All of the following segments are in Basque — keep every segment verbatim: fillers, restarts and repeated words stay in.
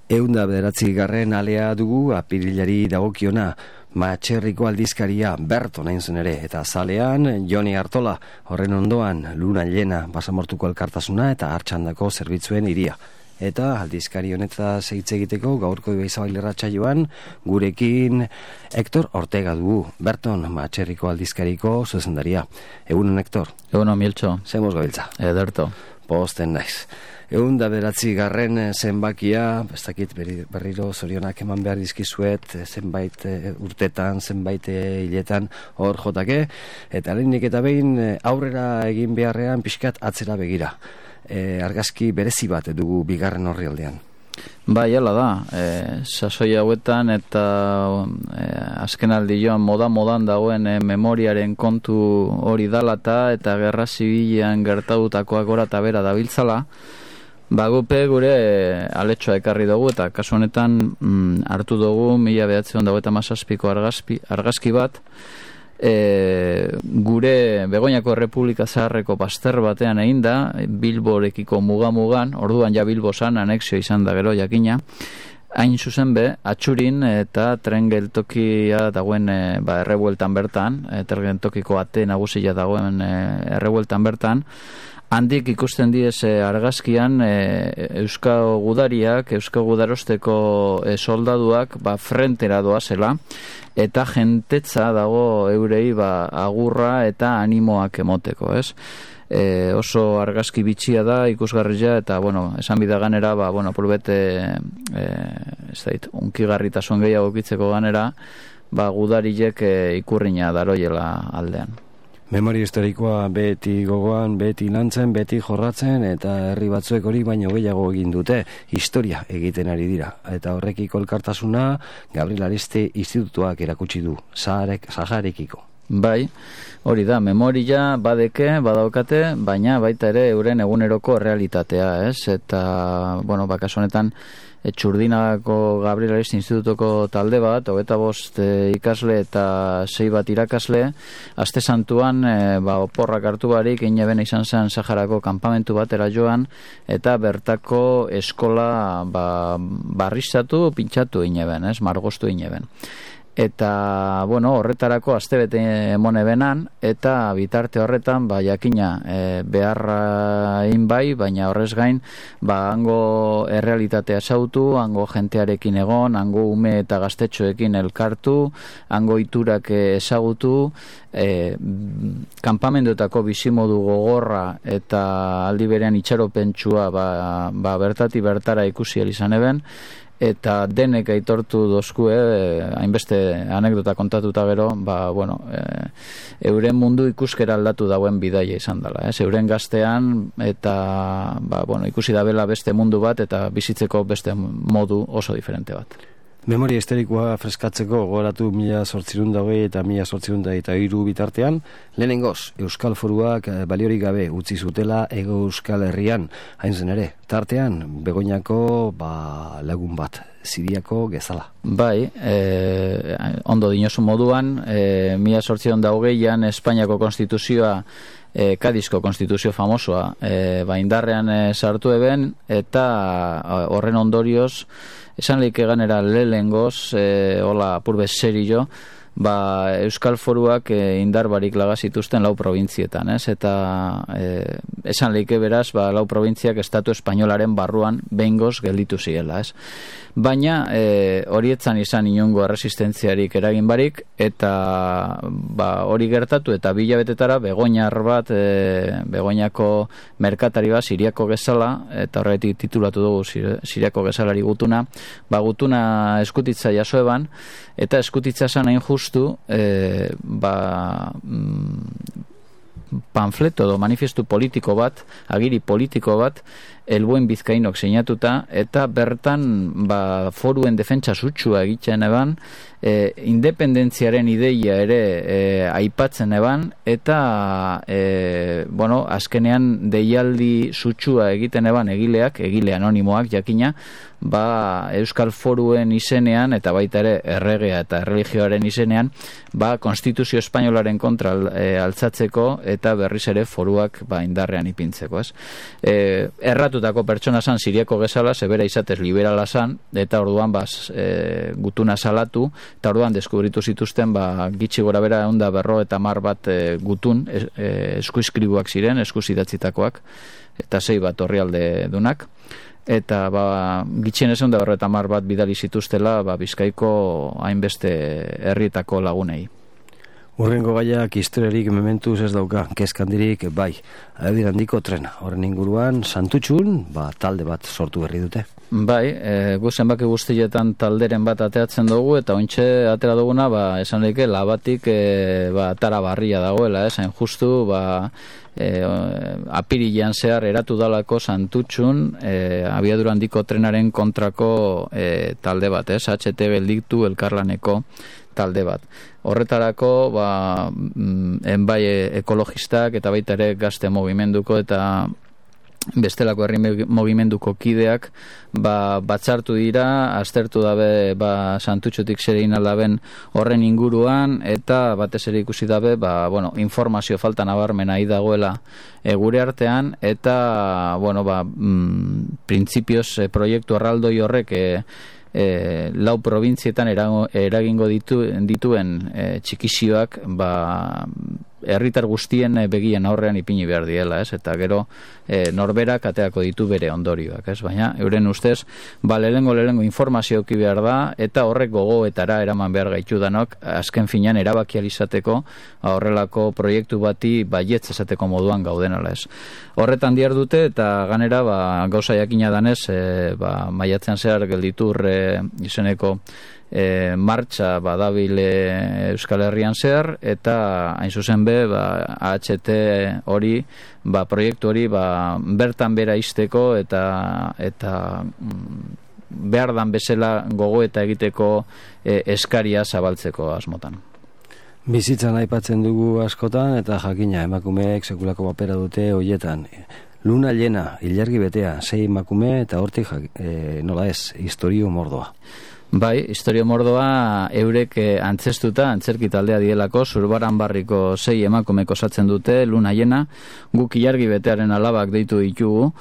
Eunda bederatzi garren alea dugu apirilari dagokiona, Matxerriko aldizkaria Berton hain zen ere, eta zalean Joni Artola, horren ondoan Luna Llena, Basamortuko elkartasuna eta Artxandako zerbitzuen iria. Eta aldizkari honetaz hitz egiteko gaurko Ibaizabal irratsaioan gurekin Hector Ortega dugu, Berton Matxerriko aldizkariko zuzendaria. Egunon, Hector. Egunon, Miltxo. Zemoz gabiltza. Ederto. Posten naiz. Egun da bederatzi garren zenbakia, ez dakit berriro zorionak eman behar dizkizuet, zenbait urtetan, zenbait hiletan hor jotake, eta lehenik eta behin aurrera egin beharrean pixkat atzera begira. E, argazki berezi bat dugu bigarren horri aldean. Bai, hala da, e, sasoi hauetan eta e, azken aldi joan moda-modan dagoen e, memoriaren kontu hori dalata eta gerra zibilean gertatutakoak gora eta bera dabiltzala, bagupe gure aletxoa ekarri dugu eta kasu honetan mm, hartu dugu mila behatziehun eta hogeita hamazazpiko argazki, argazki bat e, gure Begoñako Errepublika Zaharreko bazter batean egin da, Bilborekiko muga-mugan, orduan ja Bilbo zan, anexio izan da gero jakina, hain zuzen be, atxurin eta tren geltokia dagoen e, ba, errebueltan bertan, e, tren geltokiko ate nagusia dagoen e, errebueltan bertan, handik ikusten diez e, argazkian e, Euskal Gudariak, Euskal Gudarosteko e, soldaduak ba, frentera doazela, eta jentetza dago eurei ba, agurra eta animoak emoteko, ez? E, oso argazki bitxia da, ikusgarria, eta, bueno, esan bida ganera, ba, bueno, purbete, e, ez dait, unkigarritasun gehiago kitzeko ganera, ba, gudarilek e, ikurriña daroiela aldean. Memoria historikoa beti gogoan, beti lantzen, beti jorratzen, eta herri batzuek hori baino gehiago egin dute, historia egiten ari dira. Eta horrekiko elkartasuna Gabriel Ariste Institutuak erakutsi du, Saharek, Saharekiko. Bai, hori da, memoria badeke, badaukate, baina baita ere euren eguneroko realitatea, ez? Eta, bueno, bakaso honetan, Txurdinako Gabriel Ariste Institutuko talde bat, hogeita bost e, ikasle eta sei bat irakasle, aste santuan e, ba, oporrak hartu barik, ineben izan zen Saharako kanpamentu batera joan, eta bertako eskola ba, barrizatu, pintxatu ineben, ez, margostu ineben. Eta, bueno, horretarako astebete emone benan, eta bitarte horretan, ba, jakina, e, beharra egin bai, baina horrez gain, ba, hango errealitatea sautu, hango jentearekin egon, hango ume eta gaztetxoekin elkartu, hango iturak ezagutu, e, kanpamenduetako bizimodu gogorra eta aldi berean itxaropentsua ba, ba, bertati bertara ikusi izan eben, eta denek aitortu dozkue, eh, hainbeste anekdota kontatuta gero, ba, bueno, eh, euren mundu ikuskera aldatu dauen bidaia izan dela, ez? Euren gaztean, eta ba, bueno, ikusi dabela beste mundu bat, eta bizitzeko beste modu oso diferente bat. Memoria historikoa freskatzeko gogoratu mila zortzirun hogei eta mila zortzirun eta hiru bitartean, lehenengoz, Euskal Foruak baliorik gabe utzi zutela Ego Euskal Herrian, hain zen ere, tartean, Begoñako ba, lagun bat, Ziriako Gezala. Bai, e, ondo dinosu moduan, e, mila zortzirun eta hogeian Espainiako konstituzioa, E, Kadizko konstituzio famosoa e, ba indarrean e, sartu eben, eta horren ondorioz esan leike ganera lehengoz e, hola apurbe serio ba, Euskal Foruak e, indar barik laga zituzten lau provintzietan, ez? Eta e, esan leike beraz ba, lau provintziak estatu espainolaren barruan behingoz gelditu ziela, ez? Baina e, horietzan izan inongo resistentziarik eragin barik, eta ba, hori gertatu eta bilabetetara Begoñar bat, e, Begoñako merkatari bat, Ziriako Gezala, eta horretik titulatu dugu Ziriako Gezalari gutuna, ba, gutuna eskutitza jaso eban, eta eskutitza zan hain justu, e, ba, mm, panfleto edo manifestu politiko bat, agiri politiko bat, Elbuen Bizkainok sinatuta, eta bertan ba, foruen defentsa sutsua egiten eban, e, independentziaren ideia ere e, aipatzen eban, eta e, bueno, azkenean deialdi sutsua egiten eban egileak, egile anonimoak jakina, ba, Euskal Foruen izenean, eta baita ere erregea eta erreligioaren izenean, ba, Konstituzio Espainolaren kontra e, altzatzeko, eta berriz ere foruak ba, indarrean ipintzeko, ez? E, erratu akusatutako pertsona zan Siriako gezala, zebera izatez liberala zan, eta orduan baz, e, gutuna salatu, eta orduan deskubritu zituzten ba, gitxi gora bera onda berro eta mar bat e, gutun e, e, eskuiskribuak ziren, eskuzidatzitakoak, eta sei bat orrialde dunak, eta ba, gitxien esan da berro eta mar bat bidali zituztela ba, Bizkaiko hainbeste herrietako lagunei. Urrengo gaiak historiarik mementuz ez dauka, kezkandirik bai, aedir handiko trena. Horren inguruan, Santutxun, ba, talde bat sortu berri dute. Bai, e, gu zenbaki guztietan talderen bat ateatzen dugu, eta ointxe atera duguna, ba, esan lehike, labatik e, ba, tara barria dagoela, esan justu, ba, e, apirilean zehar eratu dalako Santutxun, e, abiadura handiko trenaren kontrako e, talde bat, ez, H T gelditu elkarlaneko talde bat. Horretarako, ba, enbai ekologistak eta baita ere gazte mogimenduko eta bestelako herri mogimenduko kideak ba, batzartu dira, aztertu dabe ba, Santutxutik zer egin aldaben horren inguruan, eta batez ere ikusi dabe ba, bueno, informazio falta nabarmena hi dagoela e, gure artean, eta bueno, ba, mm, printzipioz e, proiektu arraldoi horrek e, E, lau probintzietan eragingo ditu, dituen e, txikizioak ba, herritar guztien begien aurrean ipini behar diela, ez? Eta gero e, norberak ateako ditu bere ondorioak, ez? Baina euren ustez, ba, lehengo lehengo informazio eki behar da, eta horrek gogoetara eraman behar gaitu danok, azken finean erabakializateko horrelako proiektu bati baietz esateko moduan gaudenala, ez? Horretan diar dute, eta ganera ba, gauza jakina danez, e, ba, maiatzean zehar gelditur e, izeneko E, martxa badabil e, Euskal Herrian zehar, eta hain zuzen be ba, H T hori ba, proiektu hori ba, bertan bera izteko eta eta mm, behar dan bezala gogo eta egiteko e, eskaria zabaltzeko asmotan. Bizitzan aipatzen dugu askotan, eta jakina emakumeek sekulako papera dute hoietan. Luna llena, ilargi betea, sei emakume eta hortik e, nola ez, historio mordoa. Bai, historio mordoa eurek antzestuta, antzerki taldea dielako, Zurbaran barriko sei emakumek osatzen dute, Luna llena, guk ilargi betearen alabak deitu ditugu,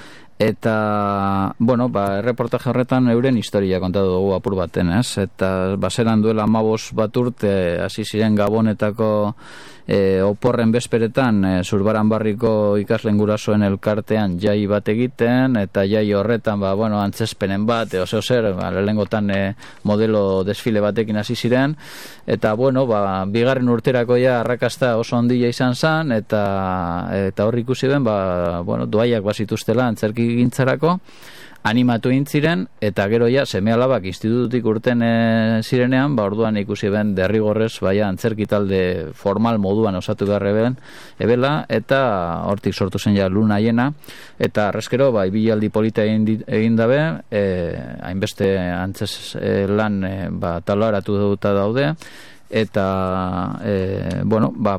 eta, bueno, ba, erreportaje horretan euren historia kontatu dugu apur baten, ez? Eta baseran duela amabos bat urte, hasi ziren Gabonetako e, oporren bezperetan, e, Zurbaran barriko ikasleen gurasoen elkartean jai bat egiten, eta jai horretan, ba, bueno, antzespenen bat, e, oseo zer, ba, lehengotan e, modelo desfile batekin hasi ziren, eta, bueno, ba, bigarren urterako ja arrakasta oso handia izan zen, eta, eta hor ikusi ben, ba, bueno, doaiak bazituztela antzerki gintzarako, animatu intziren, eta gero ja seme-alabak institututik urten e, zirenean, ba orduan ikusi ben derrigorrez baia antzerki talde formal moduan osatu garreben ebela, eta hortik sortu zen ja Luna llena, eta arrezkero ba ibilaldi polita egin, egin dabe, e, hainbeste antzes e, lan e, ba, talaratu duta daude, eta e, bueno, ba,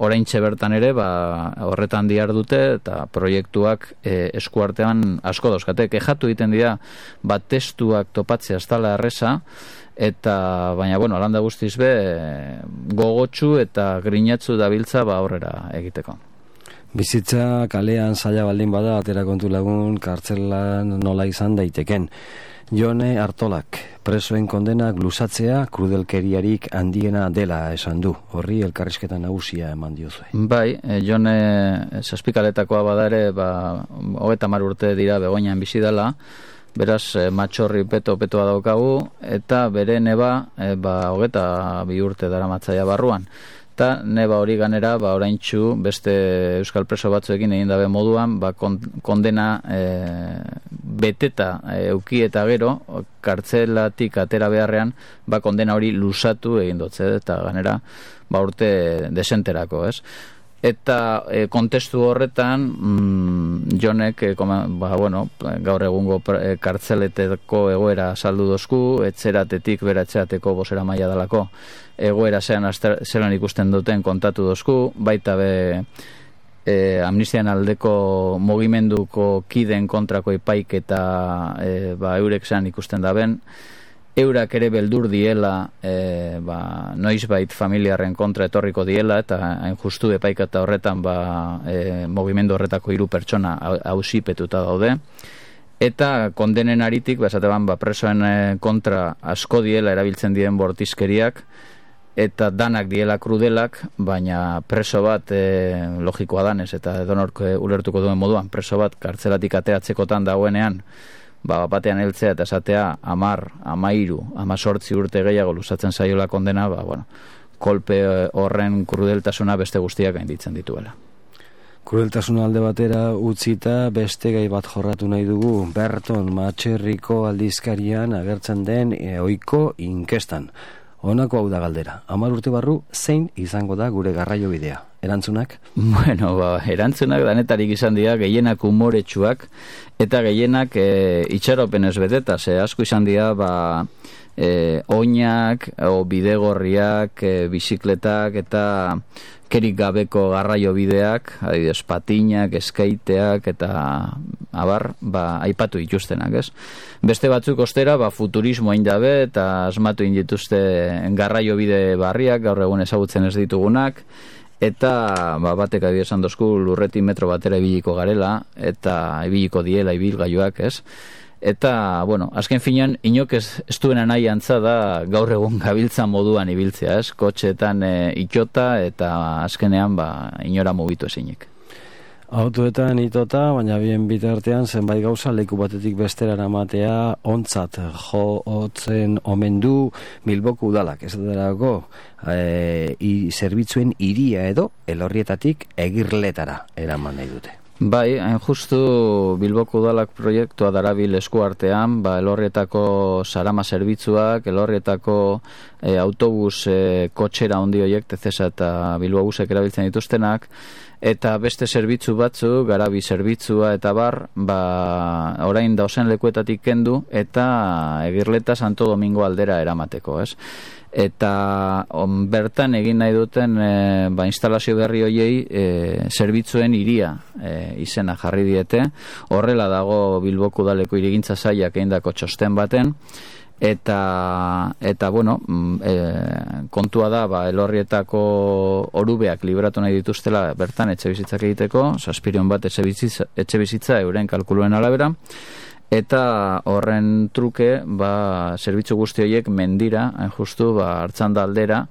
oraintxe bertan ere ba, horretan diar dute, eta proiektuak e, eskuartean asko dauzkate. Kejatu egiten dira ba, testuak topatzea ez dela erreza, eta baina bueno, alanda guztiz be gogotsu eta grinatzu dabiltza ba aurrera egiteko. Bizitza kalean zaila baldin bada, atera kontu lagun kartzelan nola izan daiteken. Jone Artolak, presoen kondenak luzatzea krudelkeriarik handiena dela esan du. Horri elkarrizketa nagusia eman diozue. Bai, Jone zazpikaletakoa bada ere, ba, hogeita hamar urte dira Begoñan bizi dela, beraz matxorri peto-petoa daukagu, eta bere neba e, ba, hogeita bi urte dara matzaia barruan. Eta neba hori ganera, ba, oraintxu beste euskal preso batzuekin egin dabe moduan, ba, kondena e, beteta e, euki eta gero, kartzelatik atera beharrean, ba, kondena hori luzatu egin dutze, eta ganera ba, urte desenterako, ez? Eta e, kontestu horretan mm, Jonek e, koma, ba, bueno, gaur egungo e, kartzeleteko egoera saldu dozku, etzeratetik bera etzerateko bosera maila dalako egoera zean zelan ikusten duten kontatu dozku, baita be e, amnistian aldeko mugimenduko kiden kontrako epaik eta e, ba, eurek zean ikusten daben, eurak ere beldur diela e, ba, noizbait familiarren kontra etorriko diela, eta hain justu epaiketa horretan ba, e, mugimendu horretako hiru pertsona auzipetuta daude, eta kondenen aritik, ba, esateban, ba, presoen kontra asko diela erabiltzen dien bortizkeriak, eta danak diela krudelak, baina preso bat e, logikoa danez, eta edonork ulertuko duen moduan, preso bat kartzelatik ateatzekotan dagoenean, ba, batean heltzea eta esatea amar, amairu, amazortzi urte gehiago luzatzen zaiola kondena, ba, bueno, kolpe horren krudeltasuna beste guztiak gainditzen dituela. Krudeltasuna alde batera utzita beste gai bat jorratu nahi dugu, Berton Matxerriko aldizkarian agertzen den e, ohiko inkestan. Honako hau da galdera, hamar urte barru zein izango da gure garraio bidea? Erantzunak? Bueno, ba, erantzunak danetarik izan dira gehienak umoretsuak eta gehienak e, itxaropenez beteta, ze asko izan dira ba, e, oinak, o bidegorriak, e, bizikletak eta kerik gabeko garraio bideak, adibidez patinak, eskaiteak eta abar, ba, aipatu dituztenak, ez? Beste batzuk ostera, ba, futurismo hain dabe eta asmatu indituzte garraio bide barriak, gaur egun ezagutzen ez ditugunak, eta ba, batek adibidez esan dozku lurretik metro batera ibiliko garela, eta ibiliko diela ibilgailuak, ez? Eta, bueno, azken finean, inok ez, ez duena nahi antza da gaur egun gabiltza moduan ibiltzea, ez? Kotxeetan e, itota eta azkenean ba, inora mugitu ezinik. Autoetan itota, baina bien bitartean zenbait gauza leku batetik bestera eramatea ontzat jotzen omen du Bilboko udalak, ez derako e, i, zerbitzuen hiria edo elorrietatik egirletara eraman nahi dute. Bai, hain justu Bilboko udalak proiektua darabil eskuartean, ba, elorrietako sarama zerbitzuak, elorrietako e, autobus e, kotxera handi horiek, Tezesa eta Bilbobusek erabiltzen dituztenak, eta beste zerbitzu batzu, garabi zerbitzua eta bar, ba, orain dausen lekuetatik kendu, eta Egirleta Santo Domingo aldera eramateko, ez? Eta on, bertan egin nahi duten e, ba, instalazio berri hoiei e, zerbitzuen hiria e, izena jarri diete. Horrela dago Bilboko udaleko hirigintza sailak egindako txosten baten, eta eta bueno, e, kontua da ba, elorrietako orubeak libratu nahi dituztela bertan etxe bizitzak egiteko, zazpiron bat etxe bizitza, etxe bizitza euren kalkuluen arabera. Eta horren truke, ba, zerbitzu guzti horiek mendira, hain justu, ba, Artzanda aldera,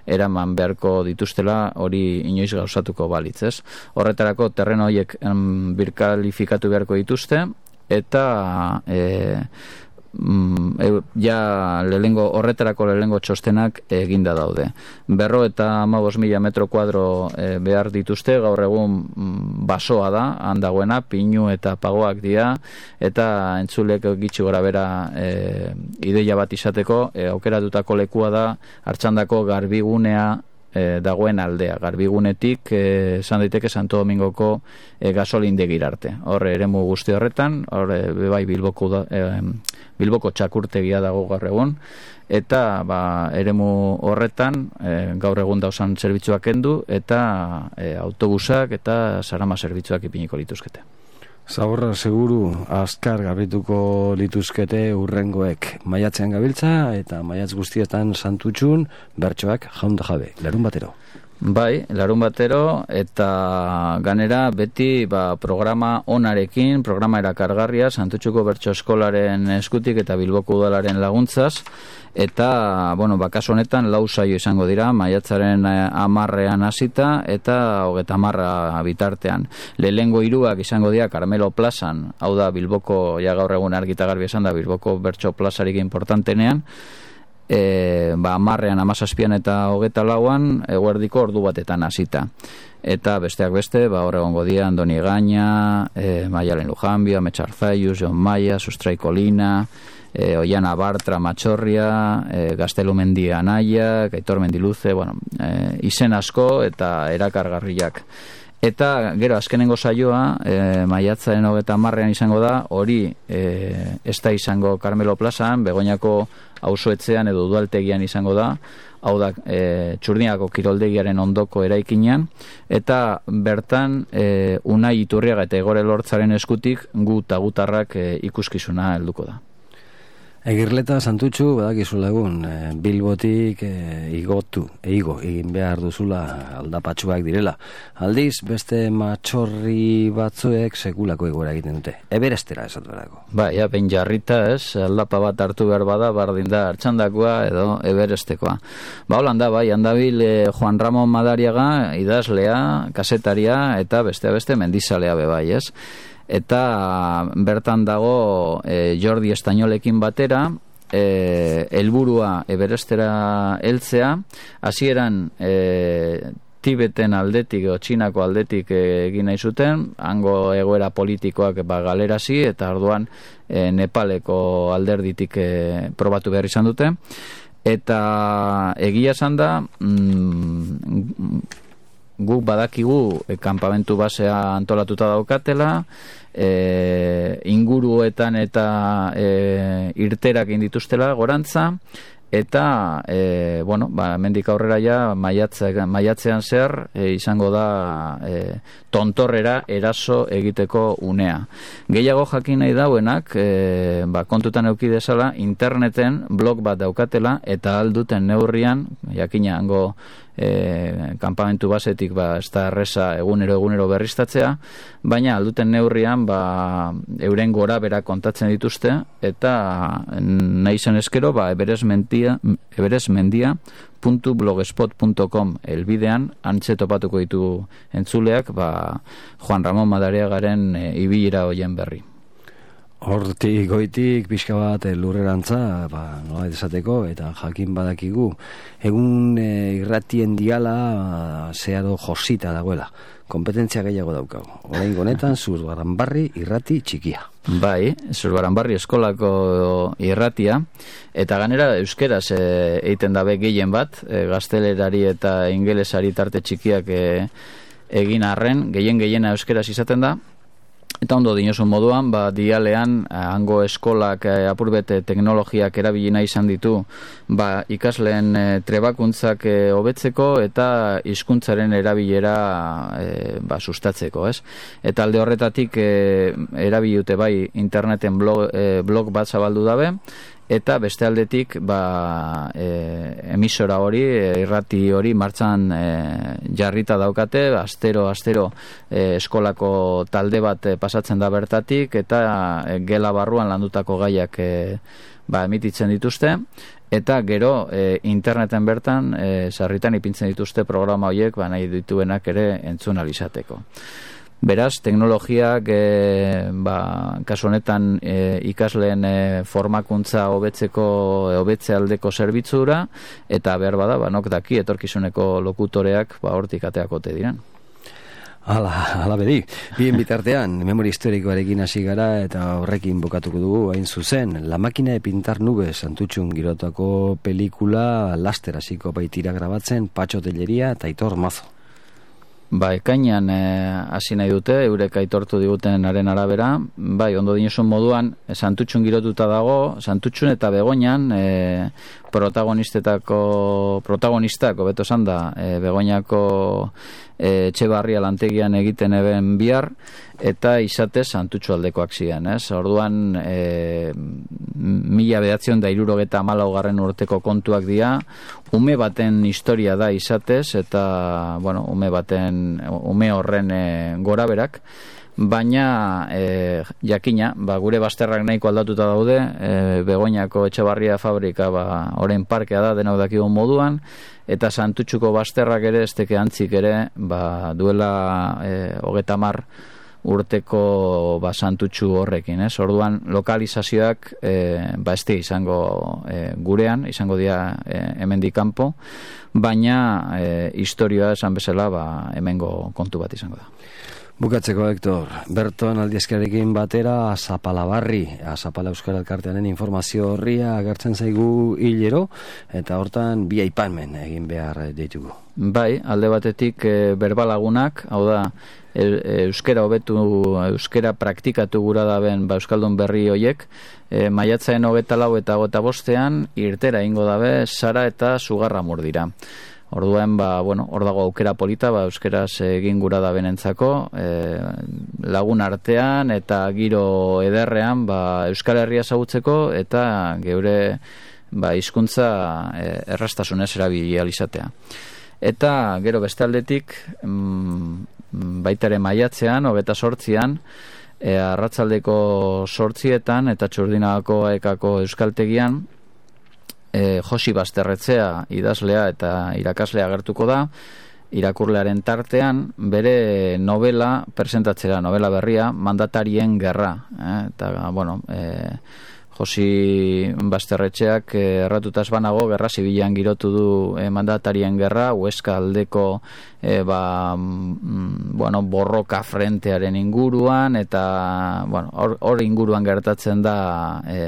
eraman beharko dituztela hori inoiz gauzatuko balitz, ez? Horretarako terreno horiek em, birkalifikatu beharko dituzte, eta e, mm, e, ja lehengo, horretarako lehengo txostenak eginda daude. Berro eta hamabost mila metro kuadro e, behar dituzte, gaur egun mm, basoa da, handagoena, pinu eta pagoak dira, eta entzulek gitxi gora bera e, ideia bat izateko, e, aukeratutako lekua da, Artxandako garbigunea e, dagoen aldea, garbigunetik e, esan daiteke Santo Domingoko e, gasolindegir arte. Horre eremu guzti horretan, horre bai Bilboko, da, e, Bilboko txakurtegia dago gaur egun, eta ba, eremu horretan e, gaur egun dauzan zerbitzuak kendu, eta e, autobusak eta sarama zerbitzuak ipiniko lituzkete. Zaborra seguru azkar garbituko lituzkete urrengoek. Maiatzean gabiltza eta maiatz guztietan santutxun bertsoak jaunda jabe. Larun batero. Bai, larun batero eta ganera beti ba, programa onarekin, programa erakargarria, Santutxuko Bertso Eskolaren eskutik eta Bilboko Udalaren laguntzaz, eta, bueno, bakaso honetan lau saio izango dira, maiatzaren amarrean hasita eta hogeta amarra bitartean. Lehengo hiruak izango dira Carmelo Plazan, hau da Bilboko, ja gaur egun argita garbi esan da, Bilboko Bertso Plazarik importantenean, E, ba, amarrean, amazazpian eta hogeta lauan eguerdiko ordu batetan hasita. Eta besteak beste, ba, hor egongo dira Andoni Gaina, e, Maialen Lujanbio, Ametsar Zaius, Jon Maia, Sustrai Kolina, e, Oiana Bartra Matxorria, e, Gaztelu Mendia Anaia, Gaitor Mendiluze, bueno, e, izen asko eta erakargarriak. Eta gero azkenengo saioa e, maiatzaren hogeta hamarrean izango da, hori e, ez da izango Carmelo Plazan, Begoñako auzoetxean edo udaltegian izango da, hau da e, Txurniako kiroldegiaren ondoko eraikinean, eta bertan e, Unai Iturriaga eta Egore Lortzaren eskutik gu eta gutarrak e, ikuskizuna helduko da. Egirleta Santutxu, badakizula egun, e, Bilbotik e, igotu, eigo, egin behar duzula aldapatxuak direla. Aldiz, beste matxorri batzuek sekulako egoera egiten dute. Everestera esatu berako. Ba, ja, behin jarrita, ez, aldapa bat hartu behar bada, bardin da, hartxandakoa edo Everestekoa. Ba, holanda, bai, handabil e, Juan Ramon Madariaga, idazlea, kasetaria, eta beste beste mendizalea be bai, ez? Eta bertan dago e, Jordi Estañolekin batera e, helburua Everestera heltzea, hasieran e, Tibeten aldetik o Txinako aldetik e, egin nahi zuten, hango egoera politikoak ba, galerazi, eta orduan e, Nepaleko alderditik e, probatu behar izan dute, eta egia esan da mm, guk badakigu e, kanpamentu basea antolatuta daukatela, e, inguruetan eta e, irterak indituztela gorantza, eta e, bueno, ba, mendik aurrera ja maiatze, maiatzean zer e, izango da e, tontorrera eraso egiteko unea. Gehiago jakin nahi dauenak, e, ba, kontutan eduki dezala, interneten blog bat daukatela, eta alduten neurrian, jakina hango E, kanpamentu basetik ba, ez da erreza egunero egunero berriztatzea, baina alduten neurrian ba, euren gora bera kontatzen dituzte, eta nahi zen eskero ba, eberesmendia eberesmendia puntu blogspot puntu com elbidean antze topatuko ditu entzuleak ba, Juan Ramon Madariagaren e, ibilera hoien berri. Hortik goitik pixka bat lurrerantza, ba, nola esateko, eta jakin badakigu egun e, irratien diala zeharo josita dagoela, kompetentzia gehiago daukagu. Orain honetan Zurbaranbarri irrati txikia. Bai, Zurbaranbarri eskolako irratia, eta ganera euskeraz e, egiten dabe gehien bat, e, gaztelerari eta ingelesari tarte txikiak e, egin arren, gehien gehiena euskeraz izaten da. Eta ondo dinosun moduan, ba, dialean, hango eskolak eh, apurbete teknologiak erabili nahi izan ditu ba, ikasleen eh, trebakuntzak eh, hobetzeko eta hizkuntzaren erabilera eh, ba, sustatzeko, ez? Eta alde horretatik eh, erabiliute bai interneten blog, eh, blog bat zabaldu dabe, eta beste aldetik ba, e, emisora hori, e, irrati hori martxan e, jarrita daukate, astero astero e, eskolako talde bat e, pasatzen da bertatik, eta e, gela barruan landutako gaiak e, ba, emititzen dituzte, eta gero e, interneten bertan e, sarritan ipintzen dituzte programa horiek ba, nahi dituenak ere entzun alizateko. Beraz, teknologiak e, ba, kasu honetan e, ikasleen e, formakuntza hobetzeko hobetze aldeko zerbitzura, eta behar bada, ba, nok daki etorkizuneko lokutoreak ba, hortik ateakote diren. Hala, hala bedi. Bien bitartean, memoria historikoarekin hasi gara eta horrekin bokatuko dugu hain zuzen. La máquina de pintar nubes Santutxun girotako pelikula laster hasiko baitira grabatzen Patxo Telleria eta Aitor Mazo. Ba, ekainan hasi nahi dute, eurek aitortu digutenaren arabera, bai, ondo dinosun moduan, Santutxun girotuta dago, Santutxun eta Begoñan e, protagonistetako, protagonistako, beto esan da, e, Begoñako e, Etxebarria lantegian egiten eben bihar, eta izate Santutxu aldekoak ziren, ez? Orduan, e, mila behatzion da irurogeta hamalaugarren urteko kontuak dira, ume baten historia da izatez, eta, bueno, ume baten, ume horren e, goraberak, baina e, jakina, ba, gure bazterrak nahiko aldatuta daude, e, Begoñako Etxebarria fabrika ba, orain parkea da denok dakigun moduan, eta Santutxuko bazterrak ere, ez teke antzik ere, ba, duela e, hogeta mar urteko ba, Santutxu horrekin, ez? Orduan lokalizazioak e, ba, ez izango e, gurean, izango dira e, hemendik kanpo, baina e, historioa esan bezala ba, hemengo kontu bat izango da. Bukatzeko, Hector, Berton Aldiazkarekin batera Azapalabarri, Azapala Euskara Elkartearen informazio horria agertzen zaigu hilero, eta hortan bi aipamen egin behar ditugu. Bai, alde batetik e, berbalagunak, hau da, e, euskera hobetu, euskera praktikatu gura daben ba, euskaldun berri hoiek, e, maiatzaen hogeta lau eta hogeta bostean irtera ingo dabe Sara eta Sugarramur dira. Orduan, ba, bueno, hor dago aukera polita, ba, euskeraz egin gura da benentzako, e, lagun artean eta giro ederrean, ba, Euskal Herria ezagutzeko eta geure ba, hizkuntza e, errastasunez erabili ahal izatea. Eta gero beste aldetik, mm, baita ere maiatzean, hogeta sortzian, e, arratsaldeko sortzietan eta Txurdinagako ekako euskaltegian, E, Josi Basterretzea idazlea eta irakaslea agertuko da, irakurlearen tartean bere novela presentatzera, novela berria, Mandatarien gerra. Eh? Eta, bueno, e, Josi Basterretxeak e, erratutaz banago, gerra zibilan girotu du e, Mandatarien gerra, Huesca aldeko e, ba, mm, bueno, borroka frentearen inguruan, eta bueno, hor, hor inguruan gertatzen da e,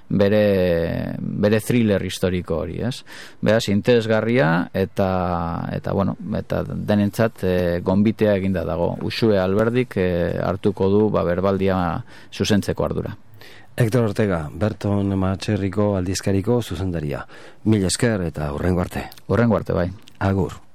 bere bere thriller historiko hori, ez? Beraz, interesgarria eta eta bueno, eta denentzat e, gonbitea eginda dago. Uxue Alberdik e, hartuko du ba berbaldia zuzentzeko ardura. Hector Ortega, Berton Matxerriko aldizkariko zuzendaria. Mil esker eta hurrengo arte. Hurrengo arte, bai. Agur.